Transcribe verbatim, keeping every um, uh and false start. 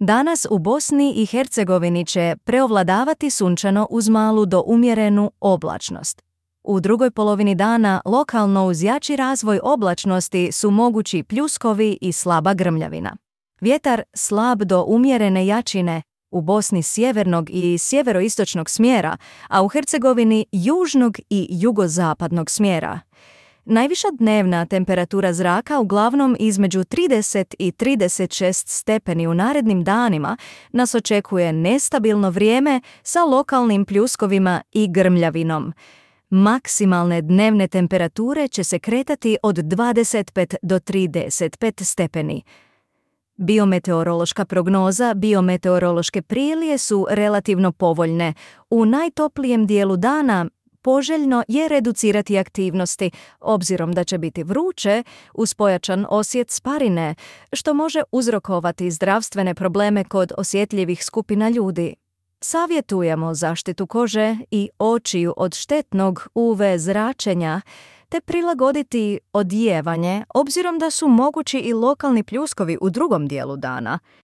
Danas u Bosni i Hercegovini će preovladavati sunčano uz malu do umjerenu oblačnost. U drugoj polovini dana lokalno uz jači razvoj oblačnosti su mogući pljuskovi i slaba grmljavina. Vjetar slab do umjerene jačine, u Bosni sjevernog i sjeveroistočnog smjera, a u Hercegovini južnog i jugozapadnog smjera. Najviša dnevna temperatura zraka uglavnom između trideset i trideset šest stepeni u narednim danima nas očekuje nestabilno vrijeme sa lokalnim pljuskovima i grmljavinom. Maksimalne dnevne temperature će se kretati od dvadeset pet do trideset pet stepeni. Biometeorološka prognoza, biometeorološke prilije su relativno povoljne. U najtoplijem dijelu dana poželjno je reducirati aktivnosti, obzirom da će biti vruće uz pojačan osjet sparine, što može uzrokovati zdravstvene probleme kod osjetljivih skupina ljudi. Savjetujemo zaštitu kože i očiju od štetnog U V zračenja, te prilagoditi odijevanje, obzirom da su mogući i lokalni pljuskovi u drugom dijelu dana.